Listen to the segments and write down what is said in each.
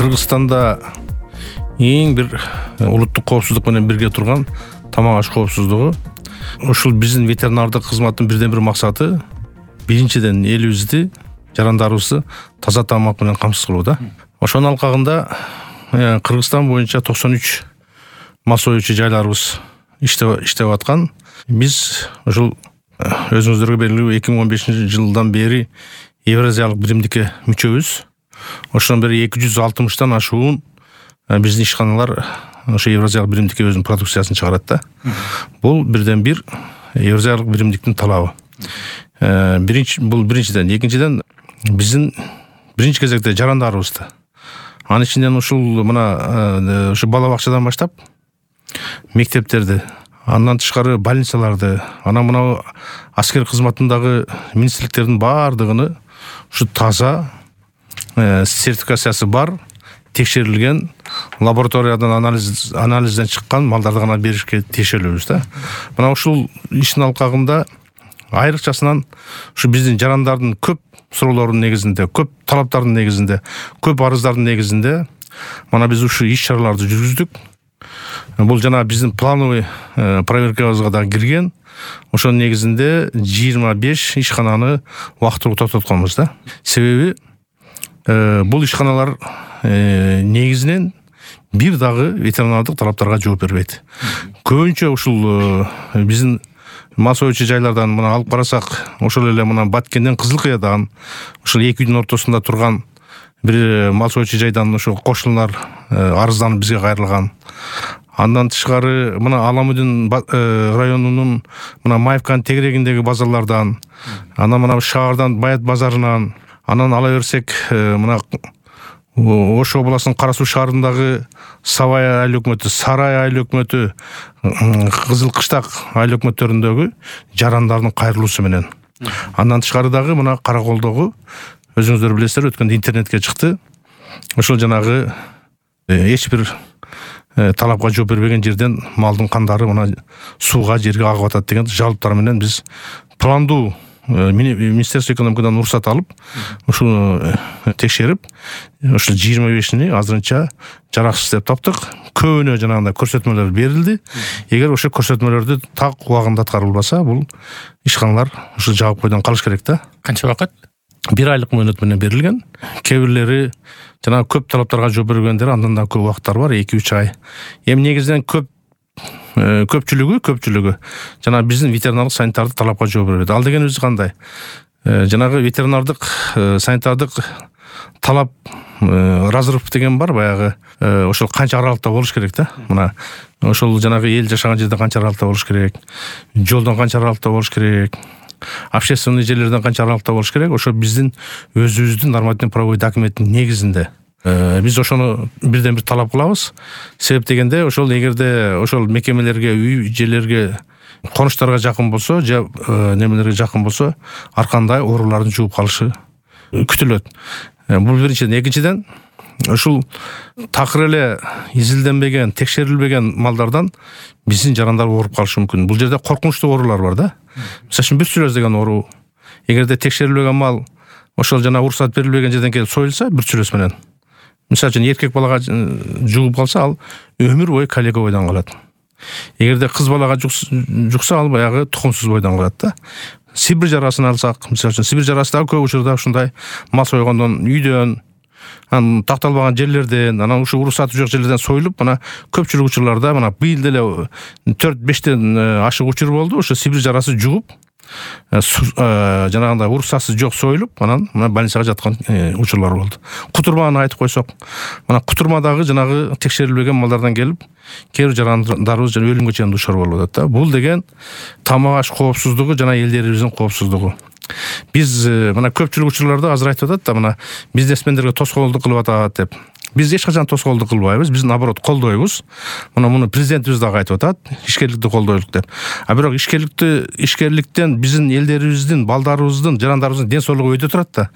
Кыргызстанда эң бир улуттук коопсуздук менен бирге турган тамак аш коопсуздугу. Ушул биздин ветеринардык кызматтын бирден бир максаты биринчиден элибизди, жарандарыбызды таза тамак менен камсыз кылуу да. Ошонун алкагында Кыргызстан боюнча 93 мал союучу жайларыбыз иштеп аткан. Биз ушул өзүңүздөргө белгилүү 2015-жылдан бери Евразиялык биримдикке мүчөбүз. Ошондон бери 260тан ашуун биздин ишканалар ошо Евразиялык биримдикке өзүнүн продукциясын чыгарат да. Бул бирден бир Евразиялык биримдиктин талабы. Бул биринчиден, экинчиден биздин биринчи кезекте жарандарыбызды. Анын ичинен ушул мына ушу бала бакчадан баштап мектептерди, андан тышкары больницаларды, анан мына аскер кызматындагы министрликтердин баардыгыны ушу таза сертификациясы бар, текшерилген, лабораториядан анализден чыккан малдарды гана беришке тиешелүүбүз да. Мына ушул иштин алкагында айрыкчасынан ушу биздин жарандардын көп суроолорунун негизинде, көп талаптардын негизинде, көп арыздардын негизинде мана биз ушу иш-чараларды жүргүздүк. Бул жана биздин плановый проверкабызга да кирген. Ошонун негизинде 25 ишкананы убактылуу токтотконбуз да. Себеби бул ишканалар негизинен бир дагы ветеринардык талаптарга жооп бербейт. Көбүнчө ушул биздин мал союучу жайлардан мына алып карасак, ошол эле мына Баткенден, Кызылкыядан, ушул эки үйдүн ортосунда турган бир мал союучу жайдан ошо кошуналар арызданып бизге кайрылган. Андан тышкары мына Аламудин районунун мына Маевканын тегерегиндеги базарлардан, анан мына шаардан Баят базарынан, анан ала берсек мына Ош областынын Кара Суу шаарындагы Сабай айыл өкмөтү, Сарай айыл өкмөтү, Кызыл Кыштак айыл өкмөттөрүндөгү жарандардын кайрылуусу менен. Андан тышкары дагы мына Караколдогу өзүңүздөр билесиздер, өткөндө интернетке чыкты. Ошол жанагы эч бир талапка жооп бербеген жерден малдын кандары мына сууга, жерге агып атат деген жалоптар менен биз пландуу Министерство экономикадан уруксат алып, ушуну текшерип, ушул 25-ни азырынча жараксыз деп таптык. Көбүнө жанагындай көрсөтмөлөр берилди. Эгер ошо көрсөтмөлөрдү так убагында аткарылбаса, бул ишканалар ушул жабык бойдон калыш керек да. Канча убакыт? 1 айлык мөөнөт менен берилген. Кээ бирлери жанагы көп талаптарга жооп бергендер андан да көп убакыттар бар, 2-3 ай. Эми негизинен көпчүлүгү жана биздин ветеринардык санитардык талапка жооп бербейт. Ал дегенибиз кандай? Жанагы ветеринардык санитардык талап разрыв деген бар, баягы ошол канча аралыкта болуш керек да. Мына ошол жанагы эл жашаган жерде канча аралыкта болуш керек, жолдон канча аралыкта болуш керек, общественный жерлерден канча аралыкта болуш керек. Ошо биздин өзүбүздүн нормативный правовой документтин негизинде биз ошону бирден бир талап кылабыз. Себеп дегенде ошол эгерде ошол мекемелерге, үй жерлерге, конуштарга жакын болсо, же немелерге жакын болсо, ар кандай оорулардын жугуп калышы күтүлөт. Бул биринчиден. Экинчиден, ушул такыр эле изилденбеген, текшерилбеген малдардан биздин жарандар ооруп калышы мүмкүн. Бул жерде коркунучтуу оорулар бар да. Мисалы үчүн бирцүлөз деген оору. Эгерде текшерилбеген мал ошол жана уруксат берилбеген жерден келип союлса, бирцүлөз менен. Мисалы үчүн эркек балага жугуп калса, ал өмүр бою калека бойдон калат. Эгерде кыз балага жукса, ал баягы тукумсуз бойдон калат да. Сибир жарасын алсак, мисалы үчүн Сибир жарасы да көп учурда ушундай мал сойгондон, үйдөн, такталбаган жерлерден, анан ушу уруксаты жок жерлерден союлуп, мына көпчүлүк учурларда мына быйыл деле 4-5тен ашык учур болду. Ошо Сибир жарасы жугуп, жанагындай уруксатсыз жок союлуп, анан мына больницага жаткан учурлар болду. Кутурманы айтып койсок, мына кутурмадагы жанагы текшерилбеген малдардан келип, кээ бир жарандарыбыз жана өлүмгө чейин душар болуп атат да. Бул деген тамак аш коопсуздугу жана элдерибиздин коопсуздугу. Биз мына көпчүлүк учурларда азыр айтып атат да, мына бизнесмендерге тоскоолдук кылып атат деп. Биз эч качан тоскоолдук кылбайбыз. Биз наоборот колдойбуз. Муну президентибиз дагы айтып атат, ишкерликти колдойлук деп. А бирок ишкерликтен биздин элдерибиздин, балдарыбыздын, жарандарыбыздын ден соолугу өтө турат да.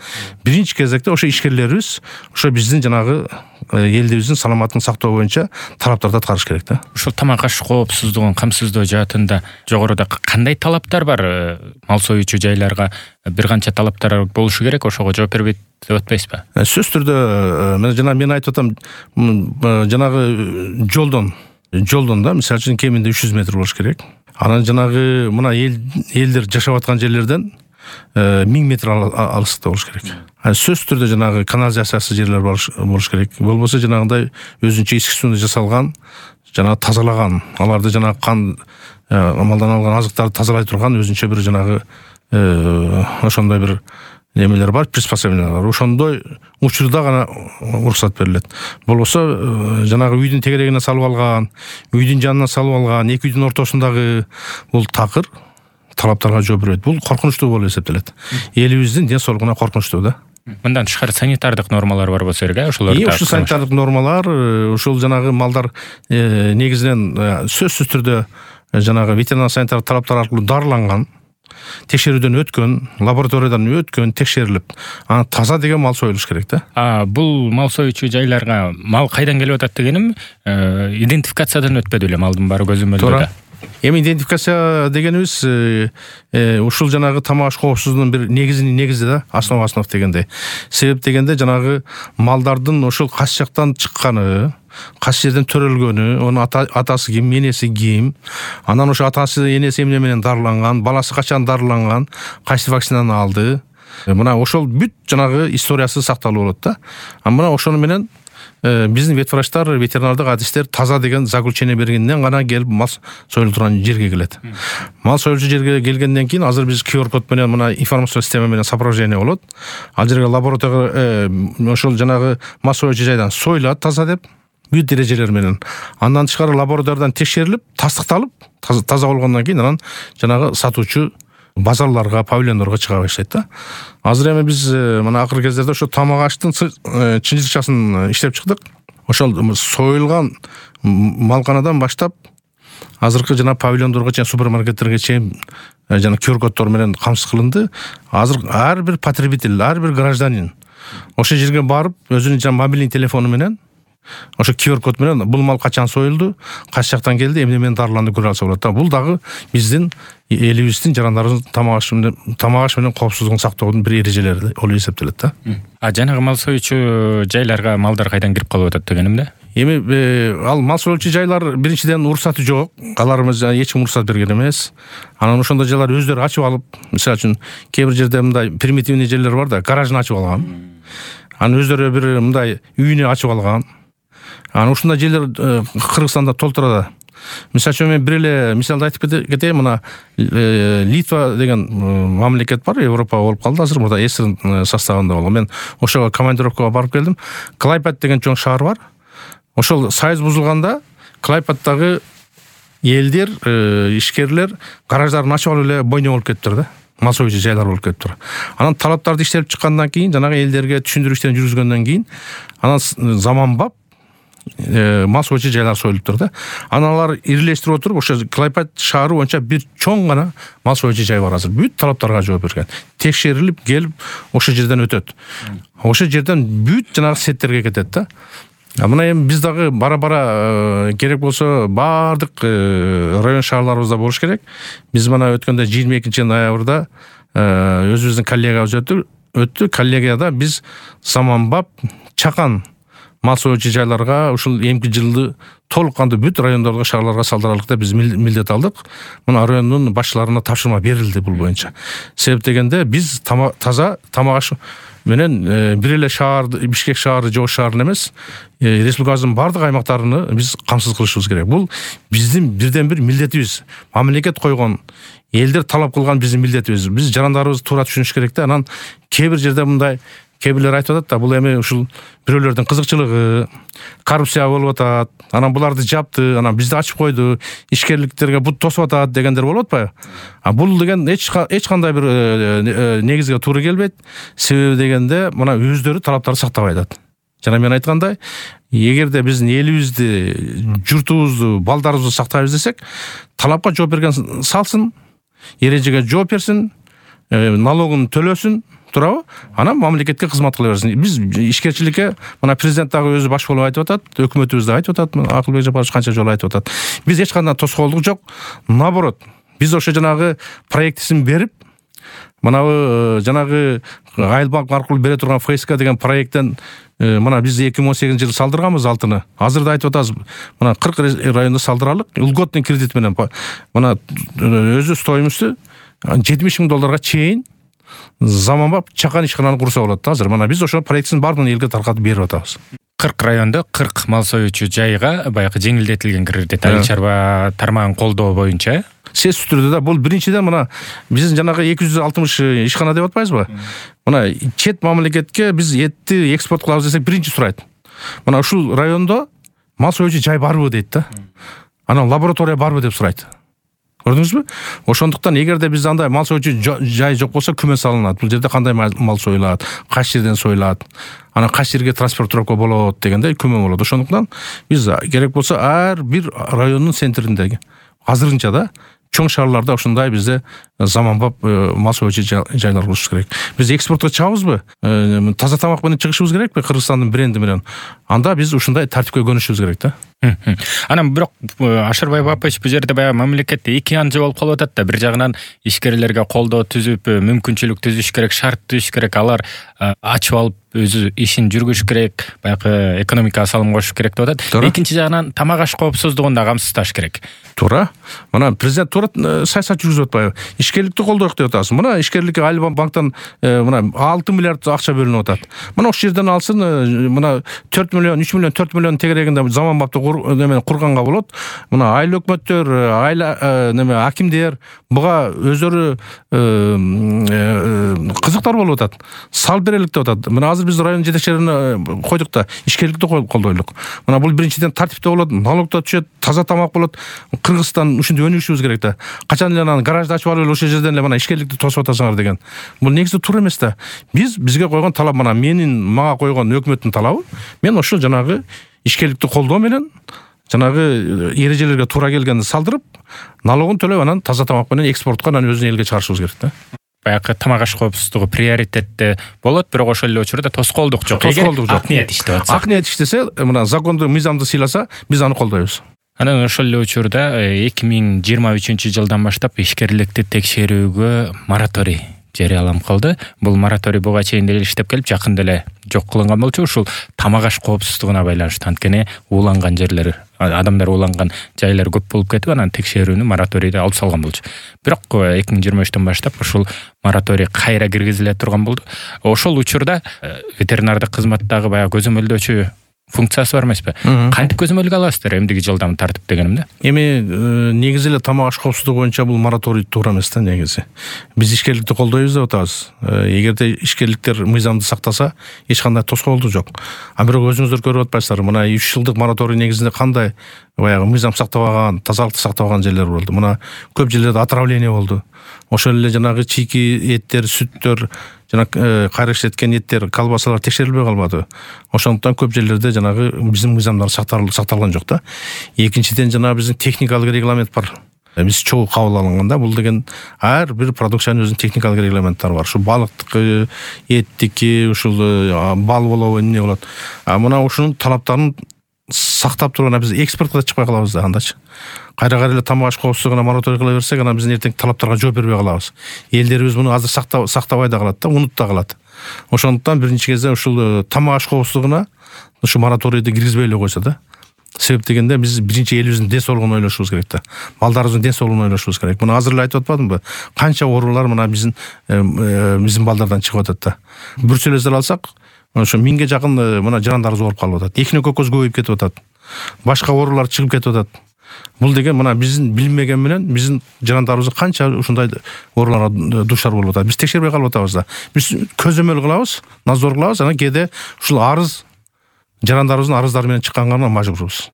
Биринчи кезекте ошо ишкерлерибиз, ошо биздин жанагы элдибиздин саламатын сактоо боюнча талаптарды аткарыш керек да. Ушул тамак аш коопсуздугун камсыздоо жаатында жогоруда кандай талаптар бар мал союучу жайларга бир канча талаптар болушу керек, ошого жооп бербейт деп атпайсызбы? Сөзсүз түрдө мен айтып атам, жанагы жолдон да мисалы үчүн кеминде 300 метр болуш керек. Анан жанагы мына элдер жашап аткан жерлерден 1000 метр алыстыкта болуш керек. Сөзсүз түрдө жанагы канализациясы жерлер болуш керек. Болбосо жанагындай өзүнчө эски сууну жасалган, жанагы тазалаган, аларды жанагы кан малдан алган азыктарды тазалай турган өзүнчө бир жанагы ошондой бир немелер бар, приспособлениялар бар. Ошондой учурда гана уруксат берилет. Болбосо жанагы үйдүн тегерегине салып алган, үйдүн жанына салып алган, эки үйдүн ортосундагы бул такыр талаптарга жооп бербейт. Бул коркунучтуу болуп эсептелет. Элибиздин ден соолугуна коркунучтуу да. Мындан тышкары санитардык нормалар бар болсо керек, ошолор. Ушул санитардык нормалар, ушул жанагы малдар негизинен сөзсүз түрдө жанагы ветеринар санитардык талаптар аркылуу дарыланган, текшерүүдөн өткөн, лабораториядан өткөн, текшерилип, таза деген мал союлуш керек да. Бул мал союучу жайларга мал кайдан келип атат дегеним, идентификациядан өтпөдү эле малдын баары көзөмөлдөрдө. Эми идентификация дегенибиз ушул жанагы тамак аш коопсуздугунун бир негизи да, основ дегенде. Себеп дегенде жанагы малдардын ошол кайсы жактан чыкканы, кайсы жерден төрөлгөнү, онун атасы ким, энеси ким, анан ошо атасы, энеси эмне менен дарыланган, баласы качан дарыланган, кайсы вакцинаны алды. Мына ошол бүт жанагы историясы сакталып болот да. Мына ошону менен биздин ветврачтар, ветеринардык адистер таза деген заключение бергенден гана келип мал союлуп турган жерге келет. Мал союлчу жерге келгенден кийин азыр биз QR код менен мына информациялык система менен сопровождение болот. Ал жерге лабораторияга ошол жанагы мал союлчу жайдан союлат таза деп, бүт эрежелер менен. Андан тышкары лабораториядан текшерилип, тастыкталып, таза болгондон кийин анан жанагы сатуучу базарларга, павильондорго чыга баштайт да. Азыр эми биз мына акыркы кездерде ошо тамак аштын чынжырчасын иштеп чыктык. Ошол союлган малканадан баштап азыркы жана павильондорго чейин, супермаркеттерге чейин жана QR коддор менен камсыз кылынды. Азыр ар бир потребитель, ар бир гражданин ошол жерге барып, өзүнүн жана мобильный телефону менен ошо QR код менен бул мал качан союлду, кайсы жактан келди, эмне менен дарыланды көрө алса болот да. Бул дагы биздин элибиздин жарандарыбыздын тамак аш менен коопсуздугун сактоодун бир эрежелери болуп эсептелет да. Жанагы мал союучу жайларга малдар кайдан кирип калып атат дегеним да. Эми ал мал союучу жайлар биринчиден уруксаты жок. Аларыбыз эч ким уруксат берген эмес. Анан ошондой жайлар өздөрү ачып алып, мисалы үчүн кээ бир жерде мындай примитивный жерлер бар да, гаражын ачып алган. Анан өздөрү бир мындай үйүнү ачып алган. Анан ушундай жерлер Кыргызстанда толтура. Мисалы үчүн мен бир эле мисалды айтып кетейин. Мына Литва деген мамлекет бар, Европа болуп калды азыр, мурда СССР составында болгон. Мен ошого командировкага барып келдим. Клайпед деген чоң шаар бар. Ошол союз бузулганда Клайпеддагы элдер, ишкерлер гараждарын ачып алып эле бойня болуп кетиптир да. Мал союучу жайлар болуп кетиптир. Анан талаптарды иштелип чыккандан кийин, жанагы элдерге түшүндүрүү иштерин жүргүзгөндөн кийин, анан заманбап мал союучу жайлар союлуптур да. Анан алар ирилештирип отуруп, ошо Клайпед шаары боюнча бир чоң гана мал союучу жай бар азыр. Бүт талаптарга жооп берген. Текшерилип келип, ошо жерден өтөт. Ошо жерден бүт жанагы сеттерге кетет да. Мына эми биз дагы бара керек болсо баардык район шаарларыбызда болуш керек. Биз мына өткөндө 22 ноябрда өзүбүздүн коллегабыз өттү. Коллегияда биз заманбап чакан мал союучу жайларга ушул эмки жылды толук кандуу бүт райондорго, шаарларга салдыралык деп биз милдет алдык. Мына райондун башчыларына тапшырма берилди бул боюнча. Себеп дегенде биз таза тамак аш менен бир эле шаарды, Бишкек шаары, Жош шаарын эмес, республикабыздын бардык аймактарын биз камсыз кылышыбыз керек. Бул биздин бирден бир милдетибиз. Мамлекет койгон, элдер талап кылган биздин милдетибиз. Биз жарандарыбызды туура түшүнүш керек да. Анан кээ бир жерде мындай кээ бирлер айтып атат да, бул эми ушул бирөөлөрдүн кызыкчылыгы, коррупция болуп атат, анан буларды жапты, анан бизди ачып койду, ишкерликтерге бут тосуп атат дегендер болуп атпайбы? Бул деген эч кандай бир негизге туура келбейт. Себеби дегенде мына өздөрү талаптарды сактабай атат. Жана мен айткандай, эгерде биздин элибизди, журтубузду, балдарыбызды сактайбыз десек, талапка жооп берген салсын, эрежеге жооп берсин, налогун төлөсүн, туурабы? Анан мамлекетке кызмат кыла берсин. Биз ишкерчиликке мына президент дагы өзү баш болуп айтып атат, өкмөтүбүз да айтып атат, Акылбек Жапарович канча жолу айтып атат. Биз эч кандай тоскоолдук жок. Наоборот, биз ошо жанагы проектисин берип, Мынабы жанагы Айылбанк аркылуу бере турган ФСК деген проекттен мына биз 2018 жылы салдырганбыз алтыны. Азыр да айтып атабыз. Мына 40 районда салдыралык льготный кредит менен. Мына өзү стоимости $70,000 чейин заманбап чакан ишкананы курса болот. Азыр мына биз ошо проектин баарын элге таркатып берип атабыз. 40 райондо 40 мал союучу жайга баягы жеңилдетилген кредит айыл чарба тармагын колдоо боюнча. Сөзсүз түрдө да бул биринчиден мына биздин жанагы 260 ишкана деп атпайбызбы? Мына чет мамлекетке биз этти экспорт кылабыз десек биринчи сурайт. Мына ушул райондо мал союучу жай барбы дейт да. Анан лаборатория барбы деп сурайт. Көрдүңүзбү? Ошондуктан эгерде бизде андай мал союучу жай жок болсо күмө салынат. Бул жерде кандай мал союлат, кайсы жерден союлат, анан кайсы жерге транспортировка болот дегендей күмө болот. Ошондуктан биз керек болсо ар бир райондун центриндеги азырынча да чоң шаарларда ушундай бизде заманбап мал союучу жайлар курушубуз керек. Биз экспортко чыгабызбы? Таза тамак менен чыгышыбыз керекпи Кыргызстандын бренди менен? Анда биз ушундай тартипке көнүшүбүз керек да. Анан бирок Ашырбай Бапыч бул жерде баягы мамлекетте эки анжы болуп калып атат да. Бир жагынан ишкерлерге колдоо түзүп, мүмкүнчүлүк түзүш керек, шарт түзүш керек. Алар ачып алып өзү ишин жүргүзүш керек, баягы экономикага салым кошуш керек деп атат. Экинчи жагынан тамак аш коопсуздугун да камсыздаш керек. Туура. Мына президент туура саясат жүргүзүп атпайбы? Ишкерликти колдойк деп атасыз. Мына ишкерликке Айылбанктан мына 6 миллиард акча бөлүнүп атат. Мына ошол жерден алсын, мына 4 миллион, 3 миллион, 4 миллион тегерегинде заманбапты курганга болот. Мына айыл өкмөттөр, айыл акимдер буга өзөрү кызыктар болуп атат. Сал берелик деп атат. Мына азыр биз район жетекчилерин койдук да, ишкерликти колдойлук. Мына бул биринчиден тартипте болот, налог да түшөт, таза тамак болот. Кыргызстан ушинтип өнүгүшүбүз керек да. Качан эле анан гаражды ачып алып ошол жерден эле мына ишкерликти тосуп атасыңар деген. Бул негизи туура эмес да. Бизге койгон талап мына мага койгон өкмөттүн талабы. Мен ошол жанагы ишкерликти колдоо менен жанагы эрежелерге туура келгенди салдырып, налогун төлөп анан таза тамак менен экспортко анан өзүнүн элге чыгарышыбыз керек да. Баягы тамак аш коопсуздугу приоритетте болот, бирок ошол эле учурда тоскоолдук жок. Ак ниет иштеп атса. Ак ниет иштесе, мына законду, мыйзамды сыйласа, биз аны колдойбуз. Анан ошол эле учурда 2023 жылдан баштап ишкерликти текшерүүгө мораторий жарыяланып калды. Бул мораторий буга чейин деле иштеп келип, жакында эле жок кылынган болчу. Ушул тамак аш коопсуздугуна байланыштуу, анткени ууланган жерлер, адамдар ууланган жайлар көп болуп кетип, анан текшерүүнү мораторийди алып салган болчу. Бирок 2023 баштап ушул мораторий кайра киргизиле турган болду. Ошол учурда ветеринардык кызматтагы баягы көзөмөлдөөчү функциясы бар эмеспи? Кантип көзөмөлгө аласыздар эмдиги жылдам тартип дегенимде? Эми негизи эле тамак аш коопсуздугу боюнча бул мораторий туура эмес да негизи. Биз ишкерликти колдойбуз деп атабыз. Эгерде ишкерликтер мыйзамды сактаса, эч кандай тоскоолдук жок. А бирок өзүңүздөр көрүп атпайсыздарбы? Мына 3 жылдык мораторий негизинде кандай баягы мыйзам сактабаган, тазалыкты сактабаган жерлер болду. Мына көп жерлерде отравление болду. Ошол эле жанагы чийки эттер, сүттөр, жана кайра иштеткен эттер, колбасалар текшерилбей калбады. Ошондуктан көп жерлерде жанагы биздин мыйзамдар сакталган жок да. Экинчиден жанагы биздин техникалык регламент бар. Биз чогуу кабыл алынганда бул деген ар бир продукциянын өзүнүн техникалык регламенттери бар. Ушу балыктыкы, эттики, ушул бал болобу, эмне болот. Мына ушунун талаптарын сактап турган биз экспортко да чыкпай калабыз да андачы. Кайра эле тамак аш коопсуздугуна мораторий кыла берсек, анан биздин эртең талаптарга жооп бербей калабыз. Элдерибиз муну азыр сактабай да калат да, унутуп да калат. Ошондуктан биринчи кезде ушул тамак аш коопсуздугуна ушу мораторийди киргизбей эле койсо да. Себеп дегенде биз биринчи элибиздин ден соолугун ойлошубуз керек да. Балдарыбыздын ден соолугун ойлошубуз керек. Муну азыр эле айтып атпадымбы? Канча оорулар мына биздин балдардан чыгып атат да. Бруцеллезди алсак, ошо 1000ге жакын мына жарандарыбыз ооруп калып атат. Экине көкөз көбөйүп кетип атат. Башка оорулар чыгып кетип атат. Бул деген мына биздин билмеген менен биздин жарандарыбыз канча ушундай ооруларга душар болуп атат. Биз текшербей калып атабыз да. Биз көзөмөл кылабыз, назор кылабыз, анан кээде ушул арыз жарандарыбыздын арыздары менен чыкканга мажбурбуз.